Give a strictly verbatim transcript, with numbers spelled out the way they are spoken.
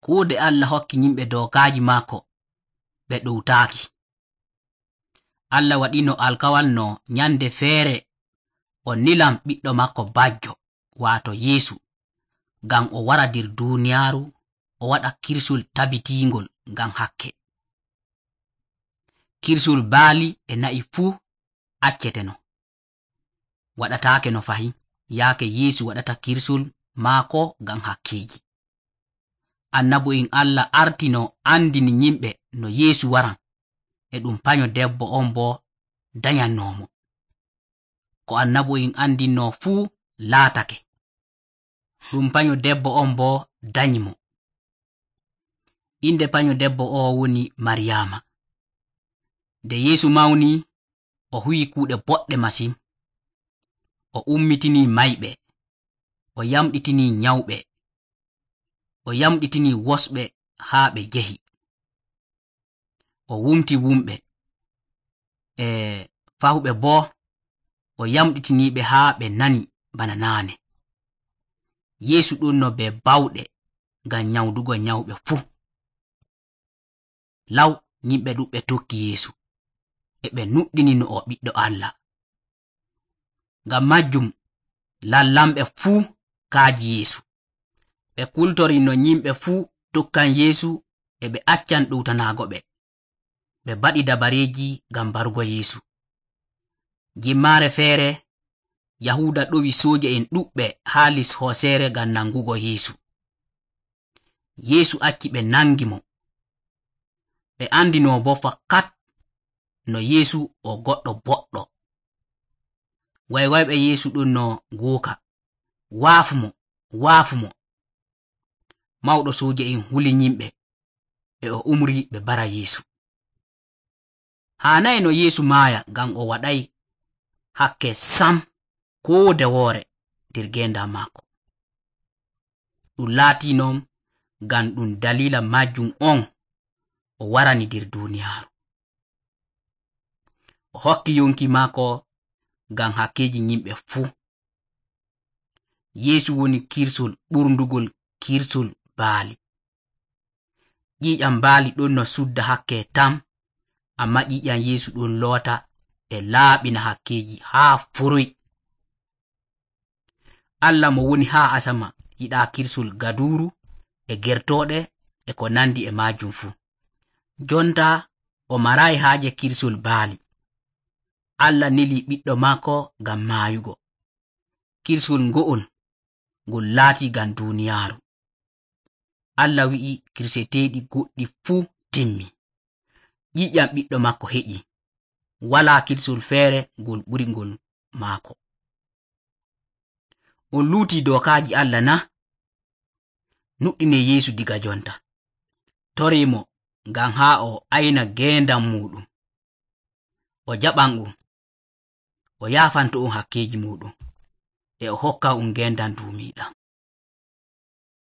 kuude Allah hokki yimɓe dokaaji maako ɓe ɗowtaaki. Allah waɗino alkawal no nyande feere o nilam ɓiɗɗo makko bajjo, waato Yeesu, ngam o wara nder duuniyaaru o waɗa kirsul tabitiingol ngam hakke. Kirsul baali e na'i fuu acceteno, waɗataake no fahi yaake Yeesu waɗata kirsul maako ngam hakkeeji. Annabu'en Allah artino andini yimɓe no Yeesu waran e ɗum panyo debbo on bo danyannoomo. Ko annabu'en andinno fuu laatake. Ɗum panyo debbo on bo danyimo. Inde panyo debbo o woni Maryaama. Nde Yeesu mawni, o huwi kuuɗe boɗɗe masin. O ummitinii mayɓe, o yamɗitinii nyawɓe, o yamɗitinii wosɓe haa ɓe njehi, o wumti wumɓe, e fahuɓe boo o yamɗitiniiɓe haa ɓe nani bana naane. Yeesu ɗonno be bawɗe ngam nyawdugo nyawɓe fuu. Law yimɓe ɗuɓɓe tokki Yeesu, e ɓe nuɗɗini no o ɓiɗɗo Allah. Ngam majjum lallamɓe fuu kaaji Yeesu. Ɓe kultori no yimɓe fuu tokkan Yeesu e ɓe accan ɗowtanaago ɓe. Ɓe baɗi dabareeji ngam barugo Yeesu. Jimmaare feere, Yahuuda ɗowi sooje'en ɗuɓɓe haa lis hooseere ngam nangugo Yeesu. Yeesu acci ɓe nangi mo. Ɓe andino bo fakat no Yeesu o goɗɗo boɗɗo. Waywayɓe Yeesu ɗon no gooka, waafu mo, waafu mo. Mawɗo sooje'en huli yimɓe, e o umri ɓe bara Yeesu. Haanayi no Yeesu maaya ngam o waɗay hakke sam koo nde woore nder geendam maako. Ɗum laatii non ngam ɗum dalila majjum on o warani nder duuniyaaru. O hokki yonki maako ngam hakkeeji yimɓe fuu. Yeesu woni kirsul ɓurdugol kirsul baali. Ƴiiƴam baali ɗon no sudda hakke tam, amma ƴiiƴam Yeesu ɗon loota e laaɓina hakkeeji haa furoy. Allah mo woni haa asama yiɗaa kirsul gaduuru e gertooɗe e ko nandi e maajum fuu. Jonta o maraayi haaje kirsul baali. Allah nili ɓiɗɗo maako ngam maayugo. Kirsul ngo'ol ngol laati ngam duuniyaaru. Allah wi'i kirseteeɗi goɗɗi fuu timmi. Ƴiiƴam ɓiɗɗo maako heƴi. Walaa kirsul feere ngol ɓuri ngol maako. On luutii dokaaji Allah na? Nuɗɗine Yeesu diga jonta. Torimo ngam haa o ayna geendam muɗum. O jaɓan on, o yaafanto on hakkeeji muɗum, e o hokka on geendam duumiiɗam.